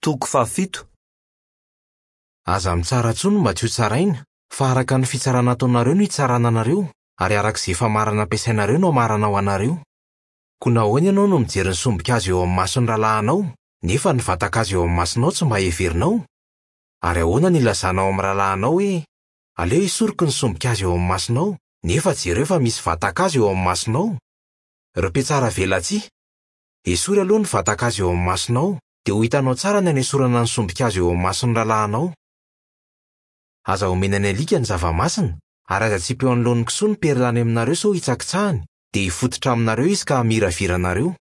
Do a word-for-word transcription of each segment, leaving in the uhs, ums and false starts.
Toko fahafito. Aza mitsara intsony mba tsy ho tsaraina, fa araka ny fitsarana ataonareo no hitsarana anareo, ary araka izay famarana ampiasainareo no hamarana ho anareo. Koa nahoana ianao no mijery ny sombin-kazo eo amin'ny mason'ny rahalahinao, nefa ny vatan-kazo eo amin'ny masonao tsy mba heverinao? Ary ahoana no ilazanao amin'ny rahalahinao hoe: "Aleo esoriko ny sombin-kazo eo amin'ny masonao", nefa jereo fa misy vatan-kazo eo amin'ny masonao? Ry mpiatsara velatsihy, esory aloha ny vatan-kazo eo amin'ny masonao, dia ho hitanao tsara ny hanesorana ny sombin-kazo eo amin'ny mason'ny rahalahinao. Aza omena ny alika ny zava-masina, ary aza atsipy eo anoloan'ny kisoa ny perla any aminareo sao hitsakitsahany, dia hifototra aminareo izy ka hamiravira anareo.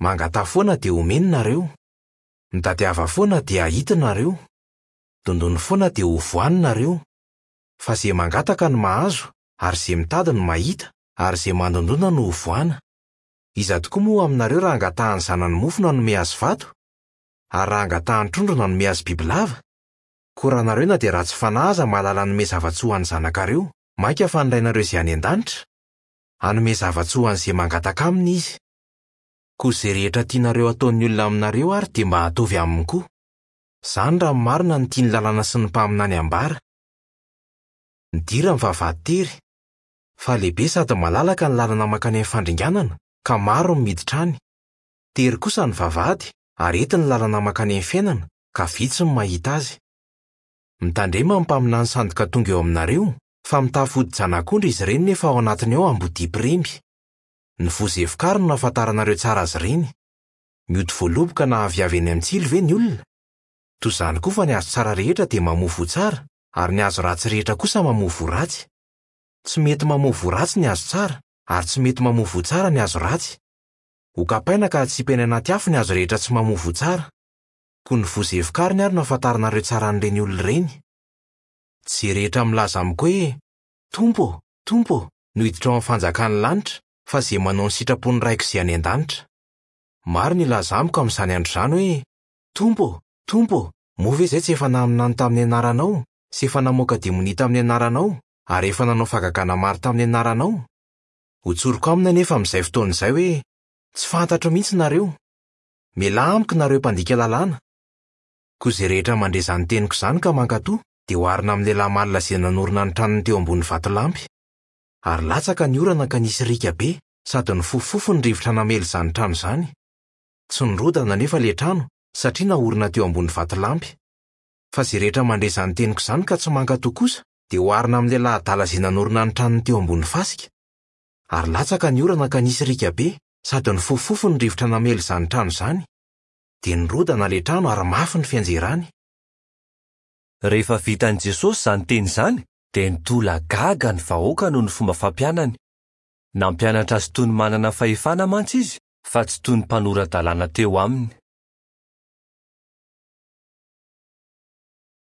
Mangataha foana dia omeny nareo. Mitadiava foana dia hahita nareo. Dondony foana dia hovoany nareo. Fa izay mangataka no mahazo, ary izay mitady no mahita, ary izay mandondona no hovoana. Iza tokoa moa aminareo raha angatahan'ny zanany mofo no hanome azy vato? Ary raha angatahan'ny trondro no hanome azy bibilava? Koa raha nareo na dia ratsy fanahy aza mahalala hanome zava-tsoa ho an'ny zanakareo, mainka fa ny Rainareo izay any an-danitra? Hanome zava-tsoa ho an'izay mangataka aminy izy. Koa izay rehetra tianareo hataon'ny olona aminareo ary dia mba ataovy aminy koa. Izany raha ny marina no tian'ny lalàna sy ny mpaminany ambara. Midira ny vavahady tery, fa lehibe sady malalaka ny lalana mankany amin'ny fandringanana, ka maro no miditra any. Tery kosa ny vavahady, ary ety ny lalana mankany amin'ny fiainana, ka vitsy no mahita azy. Mitandrema ny mpaminany sandoka tonga eo aminareo, fa mitafy hodi-janak'ondry izy ireny nefa ao anatiny ao ambodia mpiremby. Ny voa izay vokariny no ahafantaranareo tsara azy ireny. Mioty voaloboka na aviavy eny amin'ny tsilo ve ny olona? Toy izany koa fa ny hazo tsara rehetra dia mamoa voa tsara, ary ny hazo ratsy rehetra kosa mamoa voa ratsy. Tsy mety mamoa voa ratsy ny hazo tsara, ary tsy mety mamoa voa tsara ny hazo ratsy. Ho kapaina ka hatsipy any anaty afo ny hazo rehetra tsy mamoa voa tsara. Koa ny voa izay vokariny ary no ahafantaranareo tsara an'ireny olona ireny. Tsy izay rehetra milaza amiko hoe: "Tompo ô, Tompo ô", no hiditra ao amin'ny fanjakan'ny lanitra, fa izay manao ny sitrapon'ny Raiko izay any an-danitra. Maro ny hilaza amiko amin'izany andro izany hoe: "Tompo ô, Tompo ô, moa ve izay tsy efa naminany tamin'ny anaranao, sy efa namoaka demonia tamin'ny anaranao, ary efa nanao fahagagana maro tamin'ny anaranao?" Hotsoriko aminy anefa amin'izay fotoana izay hoe: "Tsy fantatro mihitsy nareo. Mialà amiko nareo mpandika lalàna." Koa izay rehetra mandre izany teniko izany ka mankatò, dia oharina amin'ny lehilahy malina izay nanorina ny tranony teo ambony vatolampy. Ary latsaka ny orana ka nisy riaka be, sady nifofofofo ny rivotra namely izany trano izany. Tsy nirodana anefa ilay trano, satria naorina teo ambony vatolampy. Fa izay rehetra mandre izany teniko izany ka tsy mankatò kosa, dia oharina amin'ny lehilahy adala izay nanorina ny tranony teo ambony fasika. Ary latsaka ny orana ka nisy riaka be, sady nifofofofo ny rivotra namely izany trano izany. Dia nirodana ilay trano ary mafy ny fianjerany. Rehefa vitan'i Jesosy izany teny izany, dia nitolagaga ny vahoaka noho ny fomba fampianany. Nampianatra azy toy ny manana fahefana mantsy izy, fa tsy toy ny mpanora-dalàna teo aminy.